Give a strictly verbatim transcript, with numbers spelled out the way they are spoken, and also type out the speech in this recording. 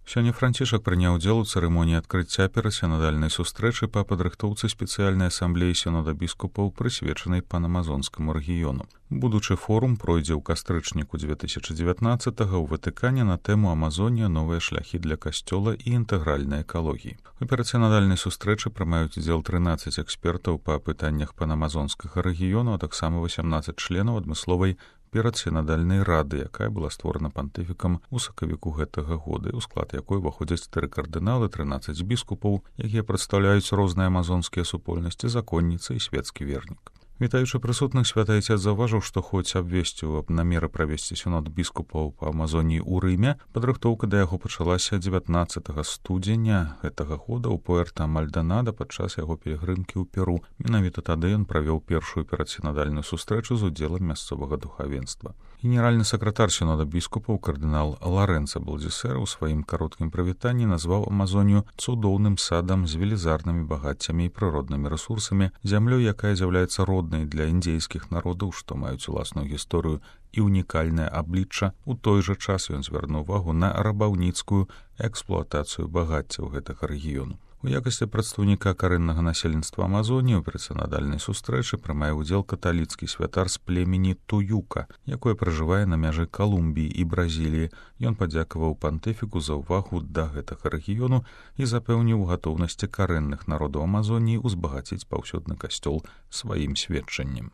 Сёння Францішак прыняў удзел у цырымоніі адкрыцця перасінадальнай сустрэчы па падрыхтоўцы спецыяльнай асамблеі сінода біскупаў, прысвечанай панамазонскаму рэгіёну. Будучы форум пройдзе ў кастрычніку две тысячы дзевятнаццатага ў Ватыкане на тэму «Амазонія. Новыя шляхі для касцёла і інтэгральнай экалогіі». У перасінадальнай сустрэчы прымаюць удзел трынаццаць экспертаў па пытаннях панамазонскага рэгіёну, а таксама васямнаццаць членаў адмысловай перадсінадальнай рады, якая была створана пантыфікам у сакавіку гэтага года, у склад якой уваходзяць тры кардыналы, трынаццаць біскупаў, якія прадстаўляюць розныя амазонскія супольнасці, законніцы і свецкі вернік. Вітаючы прысутных, святы Айцец заўважыў, што хоць абвесціў аб намеры правесці сінод біскупаў па Амазоніі ў Рыме, падрыхтоўка да яго пачалася дзевятнаццатага студзеня гэтага года ў Пуэрта-Мальдонада падчас яго пілігрымкі ў Перу. Менавіта тады ён правёў першую перадсінадальную сустрэчу з удзелам мясцовага духавенства. Генеральны сакратар сінода біскупаў кардынал Ларэнца Балдзісера ў сваім кароткім прывітанні назваў Амазонію цудоўным садам з велізарнымі багаццямі і прыроднымі рэсурсамі, зямлёй, якая з'яўляецца роднай для індзейскіх народаў, што маюць уласную гісторыю і унікальнае аблічча. У той жа час ён звярнуў увагу на рабаўніцкую эксплуатацыю багаццяў гэтага рэгіёну. У якасці прадстаўніка карэннага насельніцтва Амазоніі ў перасінадальнай сустрэчы прымае ўдзел каталіцкі святар з племені Туюка, якое пражывае на мяжы Калумбіі і Бразіліі. Ён падзякаваў пантыфіку за ўвагу да гэтага рэгіёну і запэўніў у гатоўнасці карэнных народаў Амазоніі ўзбагаціць паўсюдны касцёл сваім сведчаннем.